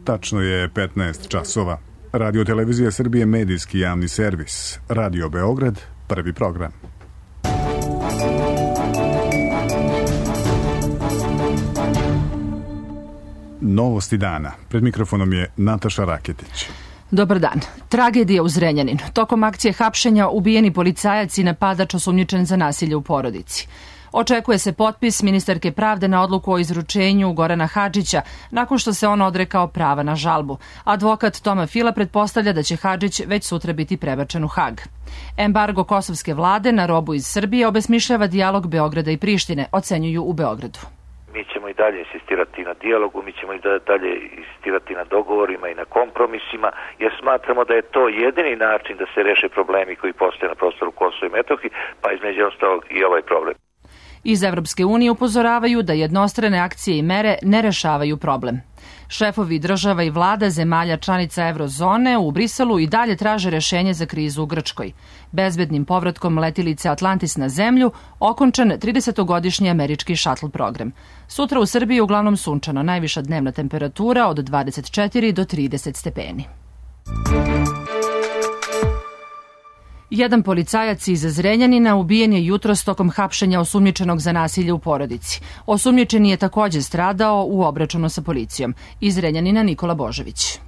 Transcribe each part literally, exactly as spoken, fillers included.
Tačno je petnaest časova. Radio Televizija Srbije, medijski javni servis. Radio Beograd, prvi program. Novosti dana. Pred mikrofonom je Nataša Raketić. Dobar dan. Tragedija u Zrenjaninu. Tokom akcije hapšenja ubijeni policajac i napadač osumnjičen za nasilje u porodici. Očekuje se potpis ministarke pravde na odluku o izručenju Gorana Hadžića nakon što se on odrekao prava na žalbu. Advokat Toma Fila pretpostavlja da će Hadžić već sutra biti prebačen u Hag. Embargo kosovske vlade na robu iz Srbije obesmišljava dijalog Beograda i Prištine, ocenjuju u Beogradu. Mi ćemo i dalje insistirati na dijalogu, mi ćemo i dalje insistirati na dogovorima i na kompromisima, jer smatramo da je to jedini način da se reše problemi koji postoje na prostoru Kosova i Metohije, pa između ostalog i ovaj problem. Iz Evropske unije upozoravaju da jednostrane akcije i mere ne rešavaju problem. Šefovi država i vlada zemalja članica eurozone u Briselu i dalje traže rešenje za krizu u Grčkoj. Bezbednim povratkom letilice Atlantis na zemlju okončan tridesetogodišnji američki šatl program. Sutra u Srbiji uglavnom sunčano, najviša dnevna temperatura od dvadeset četiri do trideset stepeni. Jedan policajac iz Zrenjanina ubijen je jutros tokom hapšenja osumnjičenog za nasilje u porodici. Osumnjičeni je takođe stradao u obračunu sa policijom. Iz Zrenjanina Nikola Božović.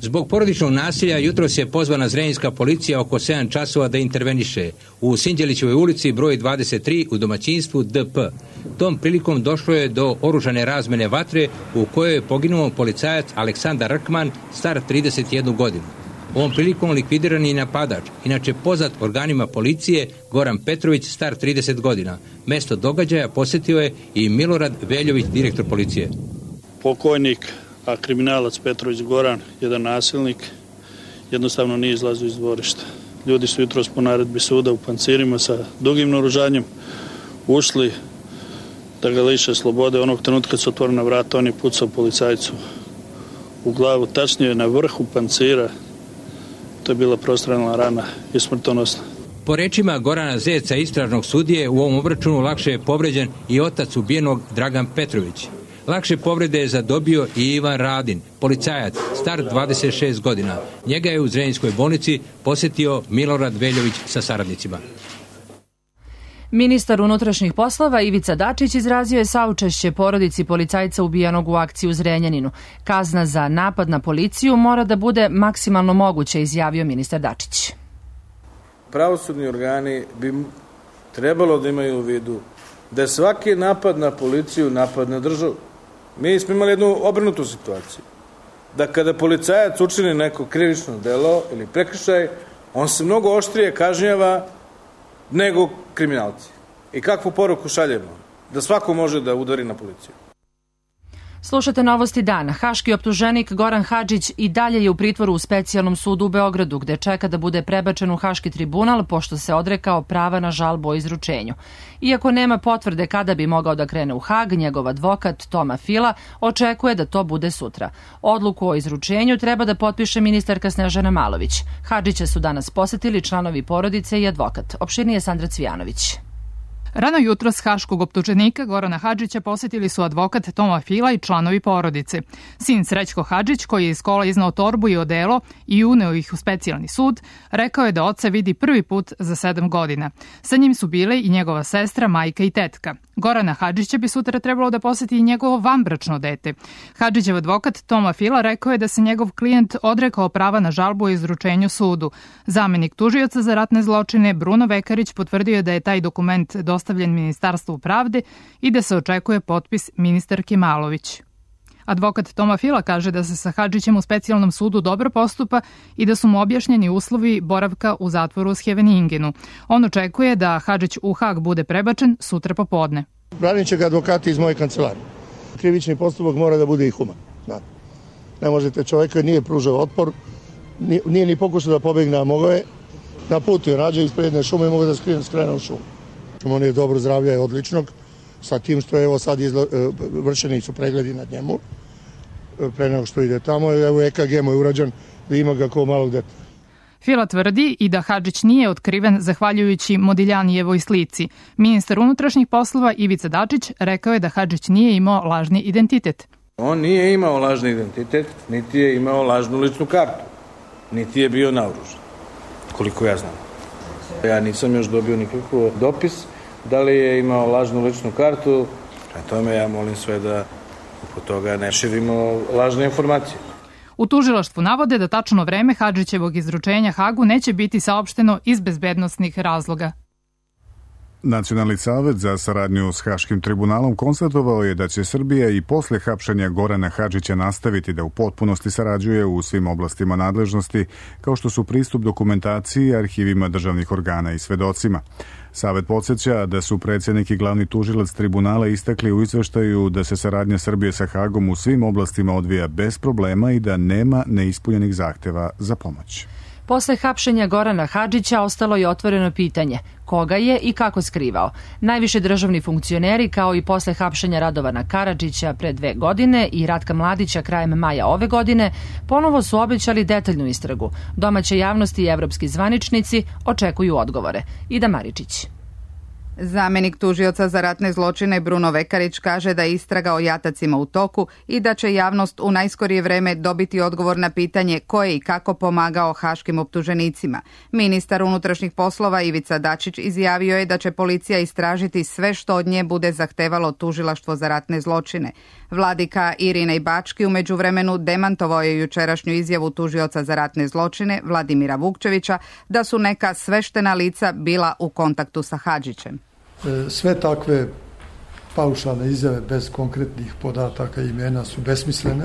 Zbog porodičnog nasilja jutros je pozvana zrenjaninska policija oko sedam časova da interveniše u Sinđelićevoj ulici broj dvadeset tri u domaćinstvu D P. Tom prilikom došlo je do oružane razmene vatre u kojoj je poginuo policajac Aleksandar Rkman, star trideset jednu godinu. Ovom prilikom likvidiran je napadač, inače poznat organima policije, Goran Petrović, star trideset godina. Mesto događaja posjetio je i Milorad Veljović, direktor policije. Pokojnik, a kriminalac Petrović Goran, jedan nasilnik, jednostavno nije izlazio iz dvorišta. Ljudi su jutros po naredbi suda u pancirima sa dugim naoružanjem ušli da ga liše slobode. Onog trenutka kad su otvorena vrata, on je pucao policajcu u glavu, tačnije na vrhu pancira. To je bila prostrelna rana i smrtonosna. Po rečima Gorana Zeca, istražnog sudije, u ovom obračunu lakše je povređen i otac ubijenog Dragan Petrović. Lakše povrede je zadobio i Ivan Radin, policajac, star dvadeset šest godina. Njega je u Zrenjaninskoj bolnici posjetio Milorad Veljović sa saradnicima. Ministar unutrašnjih poslova Ivica Dačić izrazio je saučešće porodici policajca ubijenog u akciji u Zrenjaninu. Kazna za napad na policiju mora da bude maksimalno moguća, izjavio ministar Dačić. Pravosudni organi bi trebalo da imaju u vidu da je svaki napad na policiju napad na državu. Mi smo imali jednu obrnutu situaciju. Da kada policajac učini neko krivično delo ili prekršaj, on se mnogo oštrije kažnjava nego kriminalci. I kakvu poruku šaljemo? Da svako može da udari na policiju. Slušate novosti dana. Haški optuženik Goran Hadžić i dalje je u pritvoru u specijalnom sudu u Beogradu, gde čeka da bude prebačen u Haški tribunal pošto se odrekao prava na žalbu o izručenju. Iako nema potvrde kada bi mogao da krene u Hag, njegov advokat Toma Fila očekuje da to bude sutra. Odluku o izručenju treba da potpiše ministarka Snežana Malović. Hadžića su danas posetili članovi porodice i advokat. Opširnije Sandra Cvijanović. Rano jutros haškog optuženika Gorana Hadžića posetili su advokat Toma Fila i članovi porodice. Sin Srećko Hadžić, koji je iz kola iznao torbu i odelo i uneo ih u specijalni sud, rekao je da oca vidi prvi put za sedam godina. Sa njim su bile i njegova sestra, majka i tetka. Gorana Hadžića bi sutra trebalo da poseti i njegovo vanbračno dete. Hadžićev advokat Toma Fila rekao je da se njegov klijent odrekao prava na žalbu o izručenju sudu. Zamenik tužioca za ratne zločine Bruno Vekarić potvrdio je da je taj dokument dostavljen Ministarstvu pravde i da se očekuje potpis ministarke Malović. Advokat Toma Fila kaže da se sa Hadžićem u specijalnom sudu dobro postupa i da su mu objašnjeni uslovi boravka u zatvoru u Scheveningenu. On očekuje da Hadžić u Hag bude prebačen sutra popodne. Branit će ga advokati iz moje kancelarije. Krivični postupak mora da bude i human. Ne možete, čovjeka nije pružao otpor, nije ni pokušao da pobegne, a mogao je. Na putu je rađe ispred jedne šume i mogu da skrene u šumu. On je dobro zdravlja je odličnog, sa tim što je evo sad izla, vršeni su pregledi nad njemu pre nego što ide tamo. Evo E K G mu je urađen da ima ga kao malog deta. Fila tvrdi i da Hadžić nije otkriven zahvaljujući Modiljanijevoj slici. Ministar unutrašnjih poslova Ivica Dačić rekao je da Hadžić nije imao lažni identitet. On nije imao lažni identitet, niti je imao lažnu ličnu kartu, niti je bio naoružan, koliko ja znam. Ja nisam još dobio nikakav dopis da li je imao lažnu ličnu kartu, a tome ja molim sve da oko toga ne širimo lažne informacije. U tužilaštvu navode da tačno vreme Hadžićevog izručenja Hagu neće biti saopšteno iz bezbednosnih razloga. Nacionalni savet za saradnju s Haškim tribunalom konstatovao je da će Srbija i posle hapšenja Gorana Hadžića nastaviti da u potpunosti sarađuje u svim oblastima nadležnosti, kao što su pristup dokumentaciji, arhivima državnih organa i svedocima. Savet podsjeća da su predsjednik i glavni tužilac tribunala istakli u izveštaju da se saradnja Srbije sa Hagom u svim oblastima odvija bez problema i da nema neispunjenih zahteva za pomoć. Posle hapšenja Gorana Hadžića ostalo je otvoreno pitanje koga je i kako skrivao. Najviši državni funkcioneri, kao i posle hapšenja Radovana Karadžića pre dve godine i Ratka Mladića krajem maja ove godine, ponovo su obećali detaljnu istragu. Domaće javnosti i evropski zvaničnici očekuju odgovore. Ida Maričić. Zamenik tužioca za ratne zločine Bruno Vekarić kaže da je istraga o jatacima u toku i da će javnost u najskorije vreme dobiti odgovor na pitanje ko je i kako pomagao haškim optuženicima. Ministar unutrašnjih poslova Ivica Dačić izjavio je da će policija istražiti sve što od nje bude zahtevalo tužilaštvo za ratne zločine. Vladika Irinej Bački u međuvremenu demantovao je jučerašnju izjavu tužioca za ratne zločine Vladimira Vukčevića da su neka sveštena lica bila u kontaktu sa Hadžićem. Sve takve paušalne izjave bez konkretnih podataka i imena su besmislene,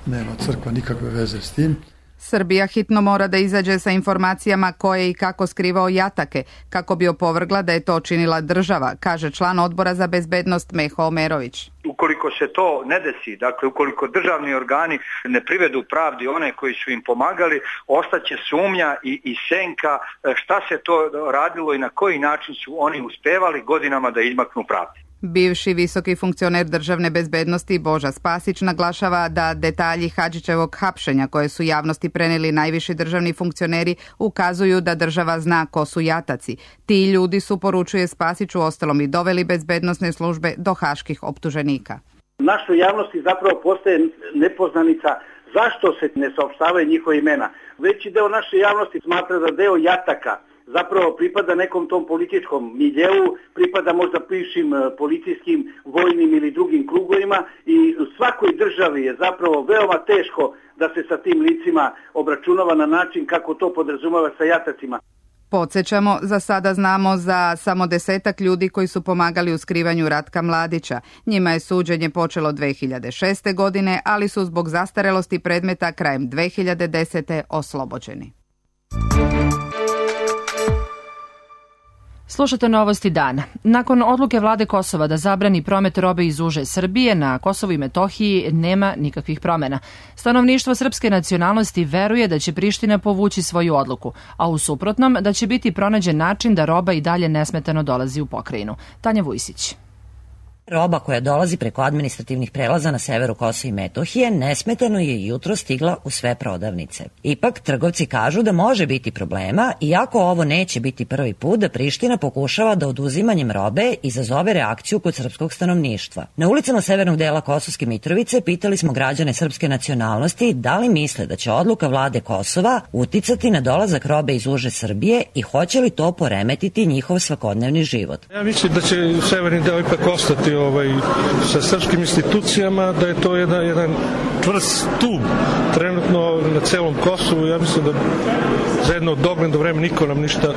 nema crkva nikakve veze s tim. Srbija hitno mora da izađe sa informacijama ko je i kako skrivao jatake, kako bi opovrgla da je to činila država, kaže član odbora za bezbednost Meho Omerović. Ukoliko se to ne desi, dakle ukoliko državni organi ne privedu pravdi one koji su im pomagali, ostaće sumnja i, i senka šta se to radilo i na koji način su oni uspevali godinama da izmaknu pravdi. Bivši visoki funkcioner državne bezbednosti Boža Spasić naglašava da detalji Hadžićevog hapšenja koje su javnosti preneli najviši državni funkcioneri ukazuju da država zna ko su jataci. Ti ljudi su, poručuje Spasić, u ostalom i doveli bezbednosne službe do haških optuženika. Našoj javnosti zapravo postaje nepoznanica zašto se ne saopštavaju njihove imena. Veći deo naše javnosti smatra da deo jataka zapravo pripada nekom tom političkom miljeu, pripada možda bivšim policijskim, vojnim ili drugim krugovima i u svakoj državi je zapravo veoma teško da se sa tim licima obračunava na način kako to podrazumeva sa jatacima. Podsjećamo, za sada znamo za samo desetak ljudi koji su pomagali u skrivanju Ratka Mladića. Njima je suđenje počelo dve hiljade šeste. godine, ali su zbog zastarelosti predmeta krajem dve hiljade desete. oslobođeni. Slušate novosti dana. Nakon odluke vlade Kosova da zabrani promet robe iz uže Srbije, na Kosovu i Metohiji nema nikakvih promena. Stanovništvo srpske nacionalnosti veruje da će Priština povući svoju odluku, a u suprotnom da će biti pronađen način da roba i dalje nesmetano dolazi u pokrajinu. Tanja Vujsić. Roba koja dolazi preko administrativnih prelaza na severu Kosova i Metohije nesmetano je jutro stigla u sve prodavnice. Ipak, trgovci kažu da može biti problema, iako ovo neće biti prvi put da Priština pokušava da oduzimanjem robe izazove reakciju kod srpskog stanovništva. Na ulicama severnog dela Kosovske Mitrovice pitali smo građane srpske nacionalnosti da li misle da će odluka vlade Kosova uticati na dolazak robe iz uže Srbije i hoće li to poremetiti njihov svakodnevni život. Ja mislim da će severni deo ipak ostati Ovaj, sa srpskim institucijama, da je to jedan, jedan čvrst stub trenutno na celom Kosovu. Ja mislim da za jedno dogledno vreme niko nam ništa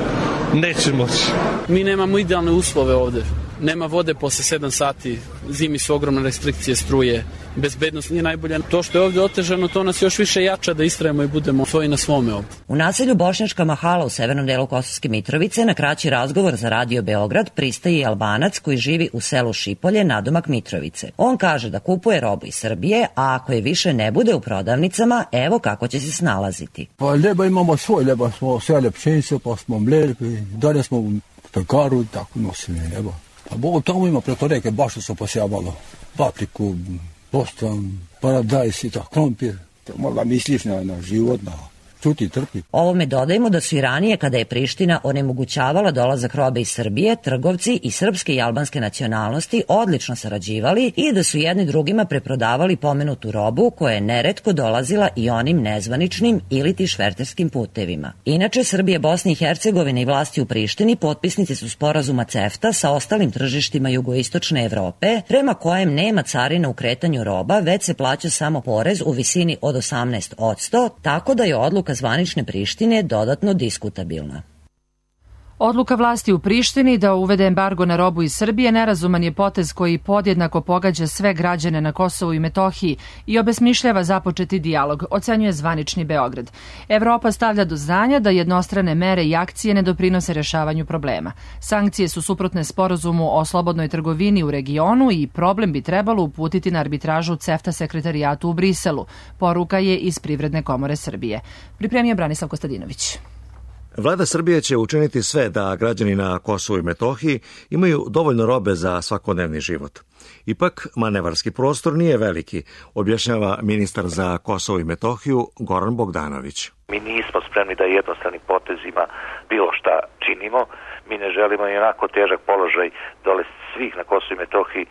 neće moći. Mi nemamo idealne uslove ovde. Nema vode posle sedam sati, zimi su ogromne restrikcije struje, bezbednost nije najbolja. To što je ovde otežano, to nas još više jača da istrajemo i budemo svoji na svome ovde. U naselju Bošnjačka Mahala u severnom delu Kosovske Mitrovice na kraći razgovor za Radio Beograd pristaje Albanac koji živi u selu Šipolje, nadomak Mitrovice. On kaže da kupuje robu iz Srbije, a ako je više ne bude u prodavnicama, evo kako će se snalaziti. Pa ljeba imamo svoj, ljeba smo sele pšenice, pa smo mleli, dalje smo u pekaru, tako nosili ljeba. Pa Bogu tamo ima preko reke, baš su posijavalo papriku, bostan, paradajs i tako, krompir. Možda misliš na, na život, na čuti, trpi. Ovome dodajmo da su i ranije, kada je Priština onemogućavala dolazak robe iz Srbije, trgovci i srpske i albanske nacionalnosti odlično sarađivali i da su jedni drugima preprodavali pomenutu robu koja je neretko dolazila i onim nezvaničnim ili ti šverterskim putevima. Inače, Srbije, Bosne i Hercegovine i vlasti u Prištini potpisnici su sporazuma CEFTA sa ostalim tržištima jugoistočne Evrope, prema kojem nema carina u kretanju roba, već se plaća samo porez u visini od osamnaest posto, tako da je odluka zvanične Prištine dodatno diskutabilna. Odluka vlasti u Prištini da uvede embargo na robu iz Srbije nerazuman je potez koji podjednako pogađa sve građane na Kosovu i Metohiji i obesmišljava započeti dijalog, ocenjuje zvanični Beograd. Evropa stavlja do znanja da jednostrane mere i akcije ne doprinose rešavanju problema. Sankcije su suprotne sporazumu o slobodnoj trgovini u regionu i problem bi trebalo uputiti na arbitražu CEFTA sekretarijatu u Briselu. Poruka je iz Privredne komore Srbije. Pripremio Branislav Kostadinović. Vlada Srbije će učiniti sve da građani na Kosovu i Metohiji imaju dovoljno robe za svakodnevni život. Ipak, manevarski prostor nije veliki, objašnjava ministar za Kosovo i Metohiju Goran Bogdanović. Mi nismo spremni da jednostranim potezima bilo šta činimo. Mi ne želimo i onako težak položaj dole svih na Kosovu i Metohiji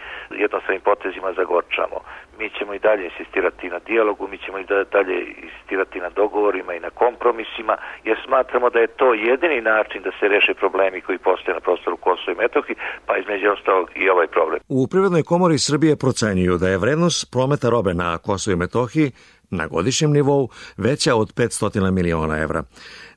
jednostranim potezima zagorčamo. Mi ćemo i dalje insistirati na dijalogu, mi ćemo i dalje insistirati na dogovorima i na kompromisima, jer smatramo da je to jedini način da se reše problemi koji postoje na prostoru Kosova i Metohije, pa između ostalog i ovaj problem. U Privrednoj komori Srbije procenjuju da je vrednost prometa robe na Kosovu i Metohiji na godišnjem nivou veća od petsto miliona evra.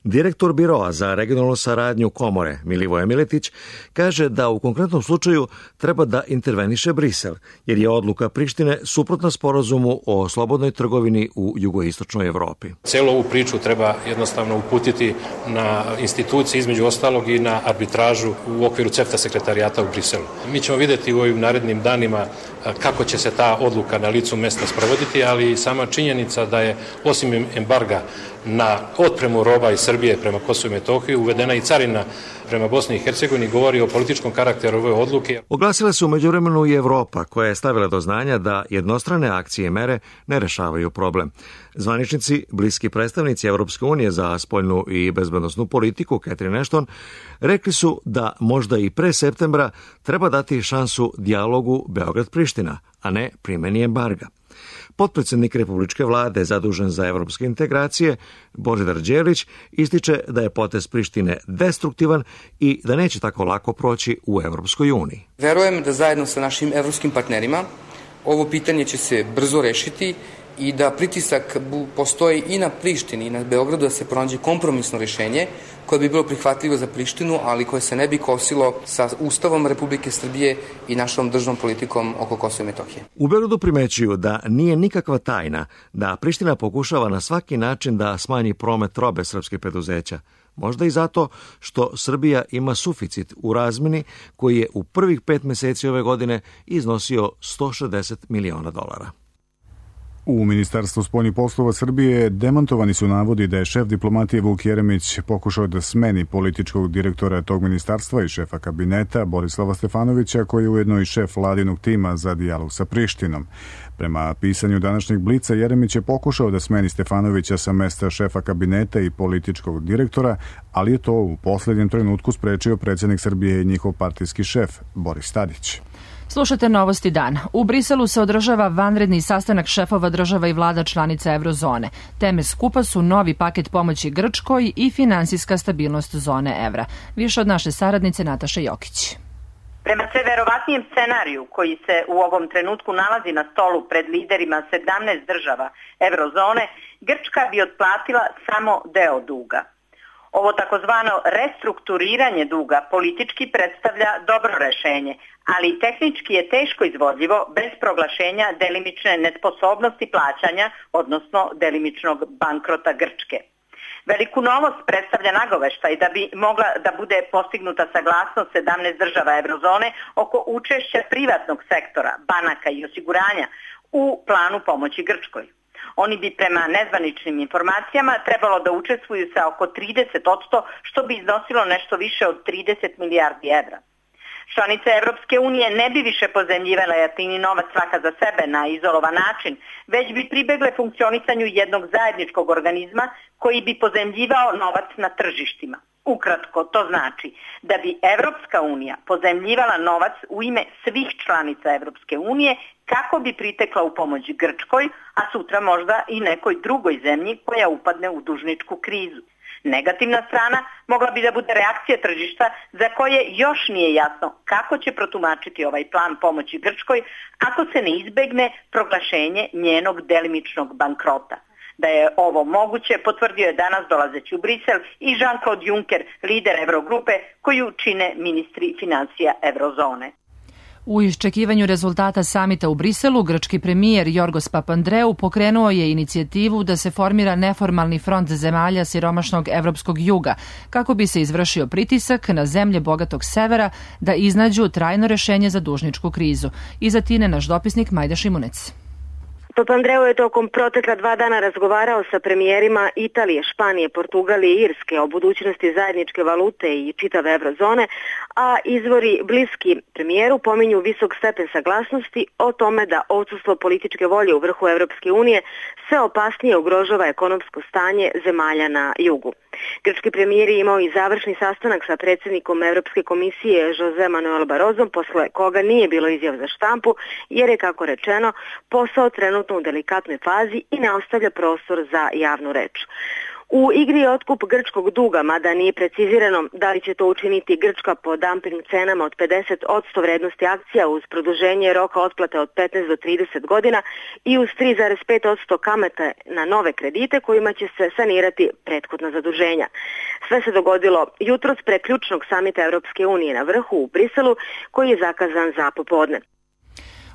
Direktor Biroa za regionalnu saradnju komore Milivoje Miletić kaže da u konkretnom slučaju treba da interveniše Brisel, jer je odluka Prištine suprotna sporazumu o slobodnoj trgovini u jugoistočnoj Evropi. Celu ovu priču treba jednostavno uputiti na institucije, između ostalog i na arbitražu u okviru CEFTA sekretarijata u Briselu. Mi ćemo videti u ovim narednim danima kako će se ta odluka na licu mesta sprovoditi, ali sama činjenica da je osim embarga na otpremu roba iz Srbije prema Kosovu i Metohiji uvedena i carina prema Bosni i Hercegovini govori o političkom karakteru ove odluke. Oglasila se u međuvremenu i Evropa, koja je stavila do znanja da jednostrane akcije i mere ne rešavaju problem. Zvaničnici, bliski predstavnici Evropske unije za spoljnu i bezbednosnu politiku, Catherine Ashton, rekli su da možda i pre septembra treba dati šansu dijalogu Beograd-Priština, a ne primeni embarga. Potpredsednik Republičke vlade zadužen za evropske integracije, Božidar Đelić, ističe da je potez Prištine destruktivan i da neće tako lako proći u Evropskoj uniji. Verujem da zajedno sa našim evropskim partnerima ovo pitanje će se brzo rešiti i da pritisak postoji i na Prištini i na Beogradu da se pronađe kompromisno rešenje koje bi bilo prihvatljivo za Prištinu, ali koje se ne bi kosilo sa Ustavom Republike Srbije i našom državnom politikom oko Kosova i Metohije. U Beogradu primećuju da nije nikakva tajna da Priština pokušava na svaki način da smanji promet robe srpskih preduzeća. Možda i zato što Srbija ima suficit u razmeni koji je u prvih pet meseci ove godine iznosio sto šezdeset miliona dolara. U Ministarstvu spoljnih poslova Srbije demantovani su navodi da je šef diplomatije Vuk Jeremić pokušao da smeni političkog direktora tog ministarstva i šefa kabineta Borislava Stefanovića, koji je ujedno i šef vladinog tima za dijalog sa Prištinom. Prema pisanju današnjeg Blica, Jeremić je pokušao da smeni Stefanovića sa mesta šefa kabineta i političkog direktora, ali je to u posljednjem trenutku sprečio predsjednik Srbije i njihov partijski šef Boris Tadić. Slušate Novosti dan. U Briselu se održava vanredni sastanak šefova država i vlada članica Eurozone. Teme skupa su novi paket pomoći Grčkoj i finansijska stabilnost zone evra. Više od naše saradnice Nataše Jokić. Prema sve verovatnijem scenariju koji se u ovom trenutku nalazi na stolu pred liderima sedamnaest država Eurozone, Grčka bi otplatila samo deo duga. Ovo takozvano restrukturiranje duga politički predstavlja dobro rešenje, ali tehnički je teško izvodljivo bez proglašenja delimične nesposobnosti plaćanja, odnosno delimičnog bankrota Grčke. Veliku novost predstavlja nagoveštaj da bi mogla da bude postignuta saglasnost sedamnaest država Eurozone oko učešća privatnog sektora, banaka i osiguranja u planu pomoći Grčkoj. Oni bi prema nezvaničnim informacijama trebalo da učestvuju sa oko trideset posto, što bi iznosilo nešto više od trideset milijardi evra. Članice Evropske unije ne bi više pozemljivale jeftini novac svaka za sebe na izolovan način, već bi pribegle funkcionisanju jednog zajedničkog organizma koji bi pozemljivao novac na tržištima. Ukratko, to znači da bi Evropska unija pozemljivala novac u ime svih članica Evropske unije kako bi pritekla u pomoć Grčkoj, a sutra možda i nekoj drugoj zemlji koja upadne u dužničku krizu. Negativna strana mogla bi da bude reakcija tržišta za koje još nije jasno kako će protumačiti ovaj plan pomoći Grčkoj ako se ne izbegne proglašenje njenog delimičnog bankrota. Da je ovo moguće potvrdio je danas dolazeći u Brisel i Jean-Claude Juncker, lider Eurogrupe, koju čine ministri financija Eurozone. U iščekivanju rezultata samita u Briselu, grčki premijer Jorgos Papandreou pokrenuo je inicijativu da se formira neformalni front zemalja siromašnog evropskog juga, kako bi se izvršio pritisak na zemlje bogatog severa da iznađu trajno rešenje za dužničku krizu. Iza Tine naš dopisnik Majda Šimunec. Papandreou je tokom protekla dva dana razgovarao sa premijerima Italije, Španije, Portugalije i Irske o budućnosti zajedničke valute i čitave eurozone, a izvori bliski premijeru pominju visok stepen saglasnosti o tome da odsustvo političke volje u vrhu Evropske unije sve opasnije ugrožava ekonomsko stanje zemalja na jugu. Grčki premijer je imao i završni sastanak sa predsjednikom Evropske komisije Jose Manuel Barrosom, posle koga nije bilo izjav za štampu, jer je, kako rečeno, posao trenutno u delikatnoj fazi i ne ostavlja prostor za javnu reč. U igri je otkup grčkog duga, mada nije precizirano da li će to učiniti Grčka po dumping cenama od pedeset posto vrednosti akcija uz produženje roka otplate od petnaest do trideset godina i uz tri zarez pet posto kamate na nove kredite kojima će se sanirati prethodna zaduženja. Sve se dogodilo jutros pre ključnog samita Evropske unije na vrhu u Briselu, koji je zakazan za popodne.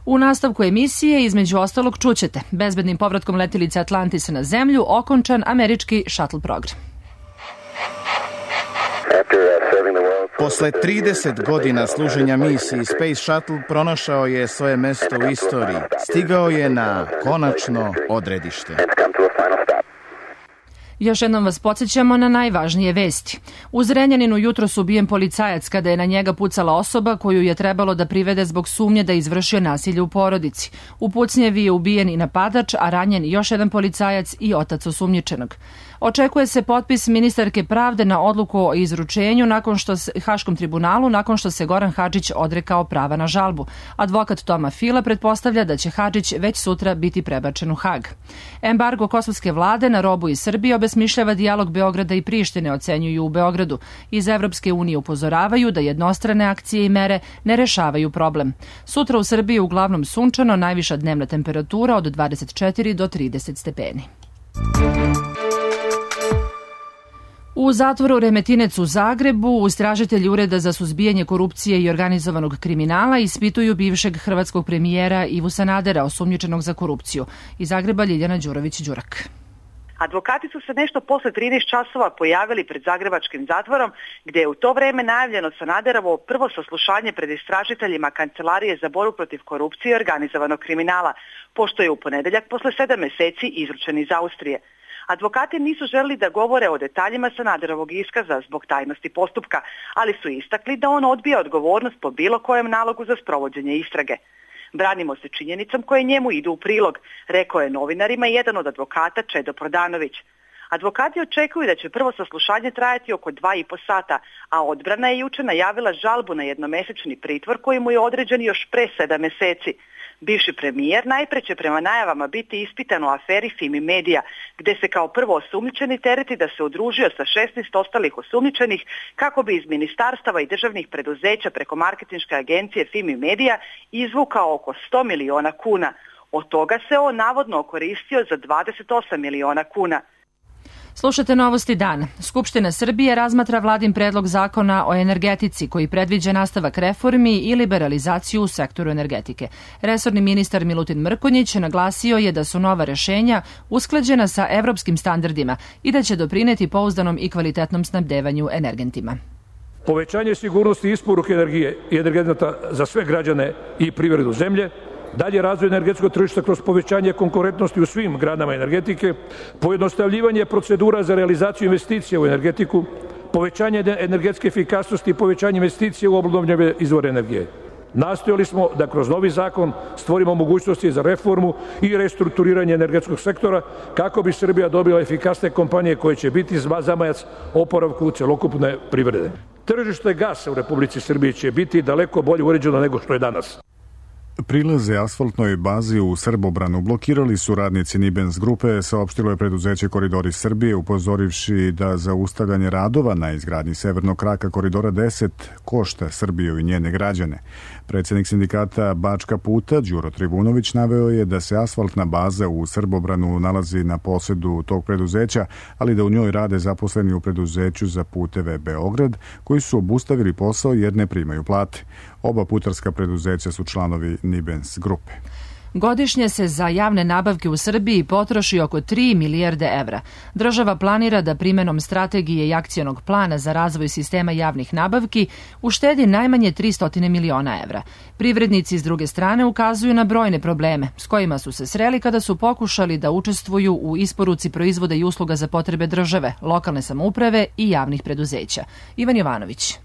U nastavku emisije, između ostalog, čućete bezbednim povratkom letilice Atlantisa na zemlju okončan američki shuttle program. Posle trideset godina služenja misiji, Space Shuttle pronašao je svoje mesto u istoriji. Stigao je na konačno odredište. Još jednom vas podsjećamo na najvažnije vesti. U Zrenjaninu jutros ubijen policajac kada je na njega pucala osoba koju je trebalo da privede zbog sumnje da je izvršio nasilje u porodici. U pucnjevi je ubijen i napadač, a ranjen još jedan policajac i otac osumnjičenog. Očekuje se potpis ministarke pravde na odluku o izručenju nakon što se, Haškom tribunalu nakon što se Goran Hadžić odrekao prava na žalbu. Advokat Toma Fila pretpostavlja da će Hadžić već sutra biti prebačen u Hag. Embargo kosovske vlade na robu iz Srbije obesmišljava dijalog Beograda i Prištine, ocenjuju u Beogradu. Iz Evropske unije upozoravaju da jednostrane akcije i mere ne rešavaju problem. Sutra u Srbiji uglavnom sunčano, najviša dnevna temperatura od dvadeset četiri do trideset stepeni. U zatvoru Remetinec u Zagrebu istražitelji Ureda za suzbijanje korupcije i organizovanog kriminala ispituju bivšeg hrvatskog premijera Ivu Sanadera, osumnjičenog za korupciju. Iz Zagreba Ljiljana Đurović-Đurak. Advokati su se nešto posle trinaest časova pojavili pred zagrebačkim zatvorom, gde je u to vreme najavljeno Sanaderovo prvo saslušanje pred istražiteljima Kancelarije za borbu protiv korupcije i organizovanog kriminala, pošto je u ponedeljak posle sedam meseci izručen iz Austrije. Advokati nisu želeli da govore o detaljima Sanaderovog iskaza zbog tajnosti postupka, ali su istakli da on odbija odgovornost po bilo kojem nalogu za sprovođenje istrage. Branimo se činjenicom koje njemu idu u prilog, rekao je novinarima jedan od advokata Čedo Prodanović. Advokati očekuju da će prvo saslušanje trajati oko dva i po sata, a odbrana je juče najavila žalbu na jednomesečni pritvor koji mu je određen još pre sedam meseci. Bivši premijer najpre će prema najavama biti ispitan u aferi Fimi Media, gde se kao prvo osumnjičeni tereti da se udružio sa šesnaest ostalih osumnjičenih kako bi iz ministarstava i državnih preduzeća preko marketinške agencije Fimi Media izvukao oko sto miliona kuna. Od toga se on navodno okoristio za dvadeset osam miliona kuna. Slušate Novosti dana. Skupština Srbije razmatra vladin predlog zakona o energetici koji predviđa nastavak reformi i liberalizaciju u sektoru energetike. Resorni ministar Milutin Mrkonjić naglasio je da su nova rešenja usklađena sa evropskim standardima i da će doprineti pouzdanom i kvalitetnom snabdevanju energentima. Povećanje sigurnosti isporuke energije i energenata za sve građane i privredu zemlje, dalje razvoj energetskog tržišta kroz povećanje konkurentnosti u svim granama energetike, pojednostavljivanje procedura za realizaciju investicija u energetiku, povećanje energetske efikasnosti i povećanje investicije u obnovljive izvore energije. Nastojali smo da kroz novi zakon stvorimo mogućnosti za reformu i restrukturiranje energetskog sektora kako bi Srbija dobila efikasne kompanije koje će biti zamajac oporavku celokupne privrede. Tržište gasa u Republici Srbiji će biti daleko bolje uređeno nego što je danas. Prilaze asfaltnoj bazi u Srbobranu blokirali su radnici Nibens grupe, saopštilo je preduzeće Koridori Srbije, upozorivši da zaustavljanje radova na izgradnji severnog kraka Koridora deset košta Srbiju i njene građane. Predsjednik sindikata Bačka puta, Đuro Trivunović, naveo je da se asfaltna baza u Srbobranu nalazi na posedu tog preduzeća, ali da u njoj rade zaposleni u preduzeću za puteve Beograd, koji su obustavili posao jer ne primaju plate. Oba putarska preduzeća su članovi Nibens grupe. Godišnje se za javne nabavke u Srbiji potroši oko tri milijarde evra. Država planira da primenom strategije i akcionog plana za razvoj sistema javnih nabavki uštedi najmanje tristo miliona evra. Privrednici s druge strane ukazuju na brojne probleme s kojima su se sreli kada su pokušali da učestvuju u isporuci proizvoda i usluga za potrebe države, lokalne samouprave i javnih preduzeća. Ivan Jovanović.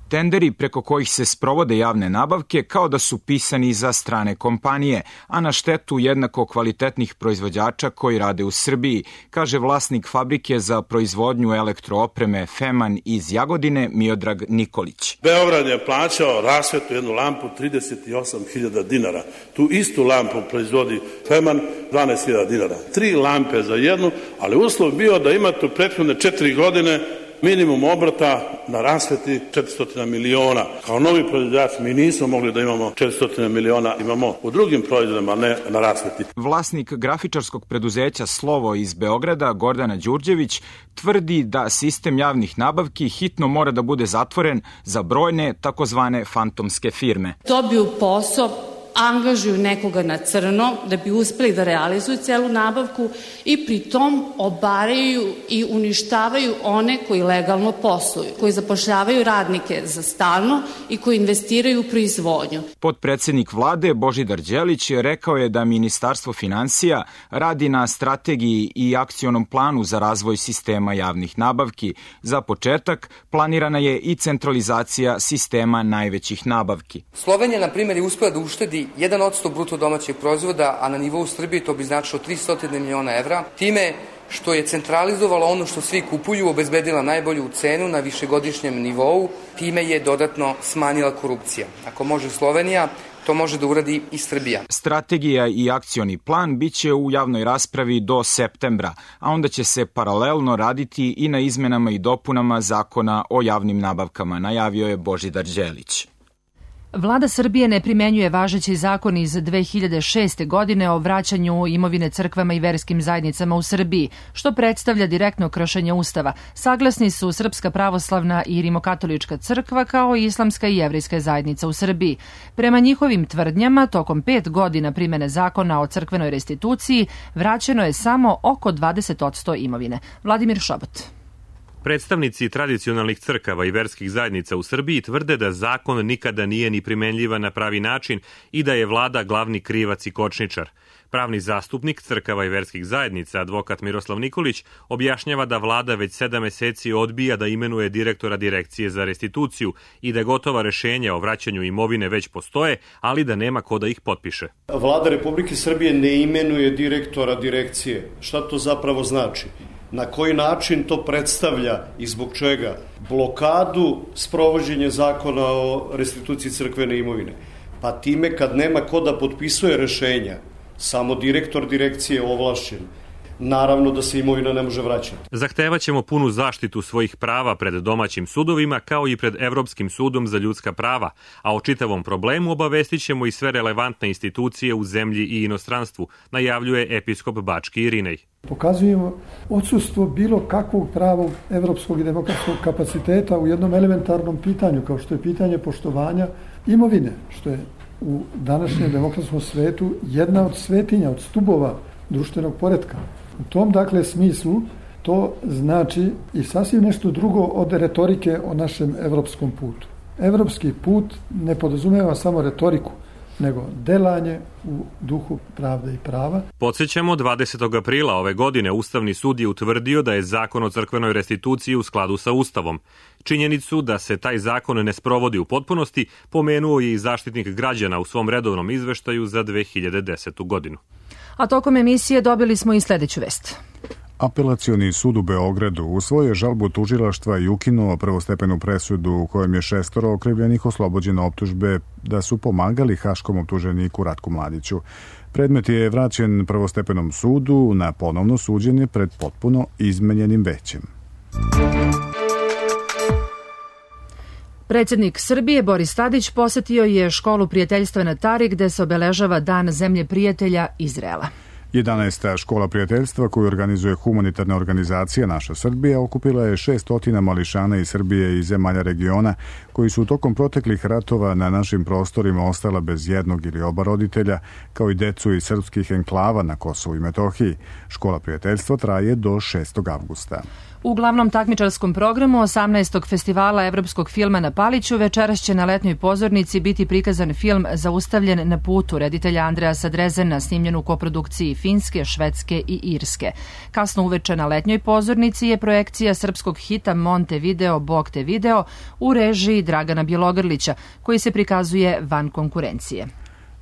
Tenderi preko kojih se sprovode javne nabavke kao da su pisani za strane kompanije, a na štetu jednako kvalitetnih proizvođača koji rade u Srbiji, kaže vlasnik fabrike za proizvodnju elektroopreme Feman iz Jagodine Miodrag Nikolić. Beograd je plaćao rasvetu jednu lampu trideset osam hiljada dinara. Tu istu lampu proizvodi Feman dvanaest hiljada dinara. Tri lampe za jednu, ali uslov bio da imate u prethodne četiri godine minimum obrata na rasveti četiristo miliona. Kao novi proizvođač mi nismo mogli da imamo četiristo miliona, imamo u drugim proizvodima, ne na rasveti. Vlasnik grafičarskog preduzeća Slovo iz Beograda, Gordana Đurđević, tvrdi da sistem javnih nabavki hitno mora da bude zatvoren za brojne takozvane fantomske firme. Dobiju posao, angažuju nekoga na crno da bi uspeli da realizuju celu nabavku i pritom obaraju i uništavaju one koji legalno posluju, koji zapošljavaju radnike za stalno i koji investiraju u proizvodnju. Potpredsednik vlade Božidar Đelić rekao je da Ministarstvo finansija radi na strategiji i akcionom planu za razvoj sistema javnih nabavki. Za početak planirana je i centralizacija sistema najvećih nabavki. Slovenija, na primjer, je uspela da uštedi jedan odsto bruto domaćeg proizvoda, a na nivou Srbije to bi značilo tristo miliona evra, time što je centralizovala ono što svi kupuju, obezbedila najbolju cenu na višegodišnjem nivou, time je dodatno smanjila korupcija. Ako može Slovenija, to može da uradi i Srbija. Strategija i akcioni plan biće u javnoj raspravi do septembra, a onda će se paralelno raditi i na izmenama i dopunama zakona o javnim nabavkama, najavio je Božidar Đelić. Vlada Srbije ne primenjuje važeći zakon iz dve hiljade šeste. godine o vraćanju imovine crkvama i verskim zajednicama u Srbiji, što predstavlja direktno kršenje Ustava. Saglasni su Srpska pravoslavna i Rimokatolička crkva kao i Islamska i Jevrejska zajednica u Srbiji. Prema njihovim tvrdnjama, tokom pet godina primene zakona o crkvenoj restituciji vraćeno je samo oko dvadeset posto imovine. Vladimir Šobot. Predstavnici tradicionalnih crkava i verskih zajednica u Srbiji tvrde da zakon nikada nije ni primenljivan na pravi način i da je vlada glavni krivac i kočničar. Pravni zastupnik crkava i verskih zajednica, advokat Miroslav Nikolić, objašnjava da vlada već sedam meseci odbija da imenuje direktora Direkcije za restituciju i da gotova rešenja o vraćanju imovine već postoje, ali da nema ko da ih potpiše. Vlada Republike Srbije ne imenuje direktora Direkcije. Šta to zapravo znači? Na koji način to predstavlja i zbog čega blokadu sprovođenja zakona o restituciji crkvene imovine? Pa time kad nema ko da potpisuje rešenja, samo direktor direkcije ovlašćen, naravno da se imovina ne može vraćati. Zahtevaćemo punu zaštitu svojih prava pred domaćim sudovima kao i pred Evropskim sudom za ljudska prava, a o čitavom problemu obavestit ćemo i sve relevantne institucije u zemlji i inostranstvu, najavljuje episkop Bački Irinej. Pokazujemo odsustvo bilo kakvog pravog evropskog i demokratskog kapaciteta u jednom elementarnom pitanju, kao što je pitanje poštovanja imovine, što je u današnjem demokratskom svetu jedna od svetinja, od stubova društvenog poretka. U tom, dakle, smislu to znači i sasvim nešto drugo od retorike o našem evropskom putu. Evropski put ne podrazumeva samo retoriku, nego delanje u duhu pravde i prava. Podsjećamo, dvadesetog aprila ove godine Ustavni sud je utvrdio da je zakon o crkvenoj restituciji u skladu sa Ustavom. Činjenicu da se taj zakon ne sprovodi u potpunosti pomenuo je i Zaštitnik građana u svom redovnom izveštaju za dve hiljade desetu godinu. A tokom emisije dobili smo i sledeću vest. Apelacioni sud u Beogradu usvojio žalbu tužilaštva i ukinuo prvostepenu presudu u kojem je šestoro okrivljenih oslobođeno optužbe da su pomagali haškom optuženiku Ratku Mladiću. Predmet je vraćen prvostepenom sudu na ponovno suđenje pred potpuno izmenjenim većem. Predsjednik Srbije Boris Tadić posetio je školu prijateljstva na Tari gde se obeležava Dan zemlje prijatelja Izraela. jedanaesta škola prijateljstva koju organizuje humanitarna organizacija Naša Srbija okupila je šestotina mališana iz Srbije i zemalja regiona koji su tokom proteklih ratova na našim prostorima ostala bez jednog ili oba roditelja, kao i decu iz srpskih enklava na Kosovu i Metohiji. Škola prijateljstva traje do šestog avgusta. U glavnom takmičarskom programu osamnaestog festivala evropskog filma na Paliću večeras će na letnjoj pozornici biti prikazan film Zaustavljen na putu reditelja Andreasa Drezena, snimljen u koprodukciji Finske, Švedske i Irske. Kasno uveče na letnjoj pozornici je projekcija srpskog hita Montevideo, Bog te video u režiji Dragana Bjelogrlića, koji se prikazuje van konkurencije.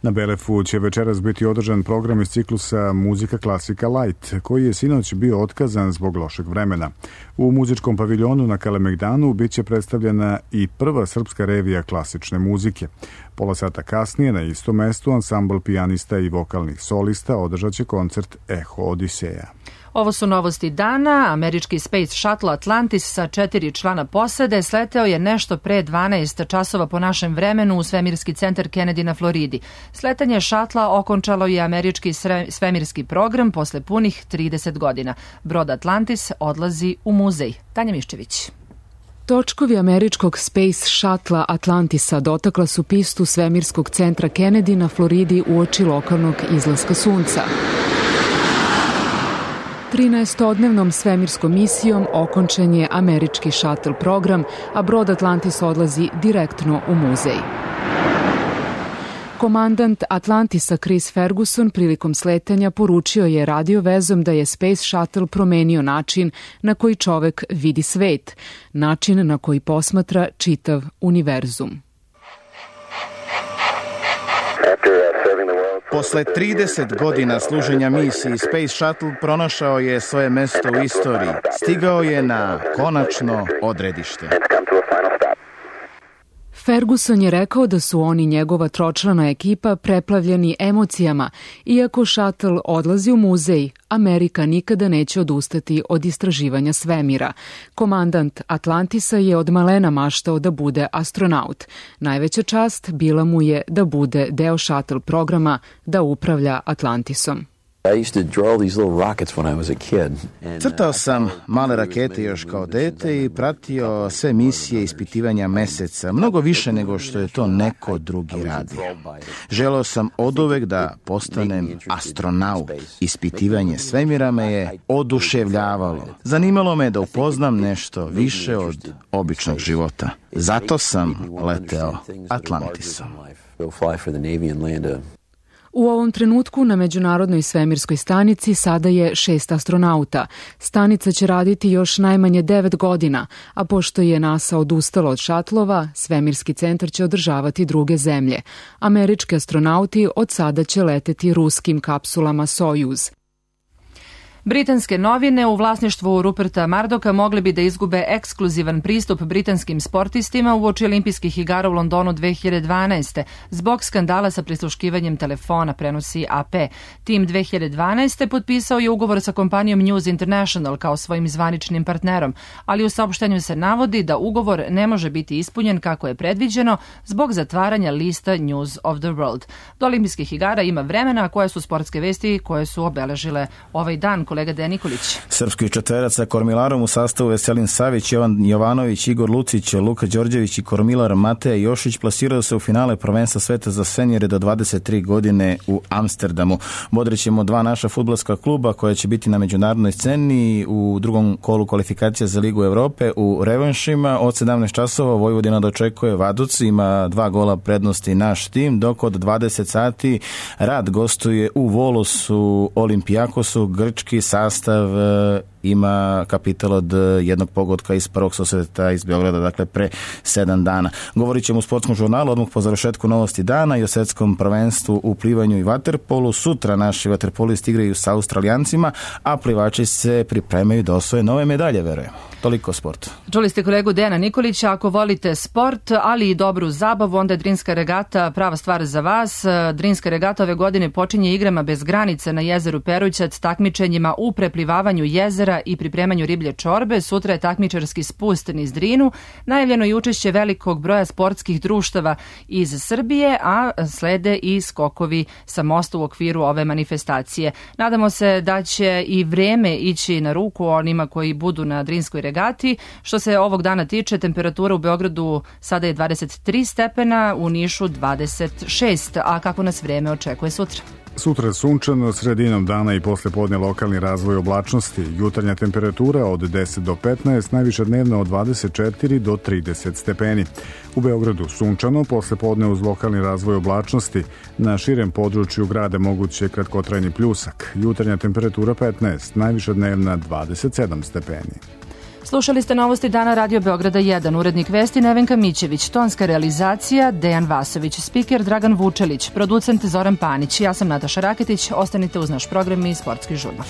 Na Belefu će večeras biti održan program iz ciklusa Muzika klasika Light, koji je sinoć bio otkazan zbog lošeg vremena. U muzičkom paviljonu na Kalemegdanu biće predstavljena i prva srpska revija klasične muzike. Pola sata kasnije na istom mestu ansambl pijanista i vokalnih solista održat će koncert Eho Odiseja. Ovo su novosti dana. Američki Space Shuttle Atlantis sa četiri člana posade sleteo je nešto pre dvanaest časova po našem vremenu u svemirski centar Kennedy na Floridi. Sletanje šatla okončalo je američki svemirski program posle punih trideset godina. Brod Atlantis odlazi u muzej. Tanja Miščević. Točkovi američkog Space Shuttle Atlantisa dotakla su pistu svemirskog centra Kennedy na Floridi uoči lokalnog izlaska sunca. trinaestodnevnom svemirskom misijom okončan je američki shuttle program, a brod Atlantis odlazi direktno u muzej. Komandant Atlantisa Chris Ferguson prilikom sletanja poručio je radio vezom da je Space Shuttle promenio način na koji čovek vidi svet, način na koji posmatra čitav univerzum. Posle trideset godina služenja misiji, Space Shuttle pronašao je svoje mesto u istoriji. Stigao je na konačno odredište. Ferguson je rekao da su oni njegova tročlana ekipa preplavljeni emocijama. Iako šatl odlazi u muzej, Amerika nikada neće odustati od istraživanja svemira. Komandant Atlantisa je od malena maštao da bude astronaut. Najveća čast bila mu je da bude deo šatl programa, da upravlja Atlantisom. Crtao sam male rakete još kao dete i pratio sve misije ispitivanja meseca, mnogo više nego što je to neko drugi radio. Želeo sam oduvek da postanem astronaut. Ispitivanje svemira me je oduševljavalo. Zanimalo me da upoznam nešto više od običnog života. Zato sam leteo Atlantisom. U ovom trenutku na Međunarodnoj svemirskoj stanici sada je šest astronauta. Stanica će raditi još najmanje devet godina, a pošto je NASA odustalo od šatlova, svemirski centar će održavati druge zemlje. Američki astronauti od sada će leteti ruskim kapsulama Sojuz. Britanske novine u vlasništvu Ruperta Murdocha mogli bi da izgube ekskluzivan pristup britanskim sportistima uoči olimpijskih igara u Londonu dve hiljade dvanaeste. zbog skandala sa prisluškivanjem telefona, prenosi A P. Tim dve hiljade dvanaeste potpisao je ugovor sa kompanijom News International kao svojim zvaničnim partnerom, ali u saopštenju se navodi da ugovor ne može biti ispunjen kako je predviđeno zbog zatvaranja lista News of the World. Do olimpijskih igara ima vremena, a koje su sportske vesti koje su obeležile ovaj dan. kolega Dejan Nikolić. Srpski četverac sa Kormilarom u sastavu Veselin Savić, Jovan Jovanović, Igor Lucić, Luka Đorđević i Kormilar Mateja Jošić plasiraju se u finale prvenstva sveta za senjere do dvadeset tri godine u Amsterdamu. Bodrit ćemo dva naša fudbalska kluba koja će biti na međunarodnoj sceni u drugom kolu kvalifikacija za Ligu Evrope u revanšima. Od sedamnaest časova Vojvodina dočekuje Vaduz, ima dva gola prednosti naš tim, dok od dvadeset sati Rad gostuje u Volosu Olimpijakosu. Grčki sastav ima kapital od jednog pogotka iz prvog susreta iz Beograda, dakle pre sedam dana. Govorit ćemo u sportskom žurnalu odmah po završetku novosti dana i o svetskom prvenstvu u plivanju i vaterpolu. Sutra naši vaterpolisti igraju sa Australijancima, a plivači se pripremaju da osvoje nove medalje, verujem. Toliko o sportu. Čuli ste kolegu Dejana Nikolića, ako volite sport, ali i dobru zabavu, onda je Drinska regata prava stvar za vas. Drinska regata ove godine počinje igrama bez granice na jezeru Perućac, takmičenjima u preplivavanju jezera i pripremanju riblje čorbe. Sutra je takmičarski spust niz Drinu. Najavljeno je učešće velikog broja sportskih društava iz Srbije, a slede i skokovi sa mosta u okviru ove manifestacije. Nadamo se da će i vreme ići na ruku onima koji budu na Drinskoj regati. Što se ovog dana tiče, temperatura u Beogradu sada je dvadeset tri stepena, u Nišu dvadeset šest, a kako nas vreme očekuje sutra? Sutra je sunčano, sredinom dana i posle podne lokalni razvoj oblačnosti. Jutarnja temperatura od deset do petnaest, najviša dnevna od dvadeset četiri do trideset stepeni. U Beogradu sunčano, posle podne uz lokalni razvoj oblačnosti. Na širem području grada moguće kratkotrajni pljusak. Jutarnja temperatura petnaest, najviša dnevna dvadeset sedam stepeni. Slušali ste novosti dana Radio Beograda jedan, urednik vesti Nevenka Mićević, tonska realizacija Dejan Vasović, spiker Dragan Vučelić, producent Zoran Panić. Ja sam Nataša Raketić, ostanite uz naš program i sportski žurnal.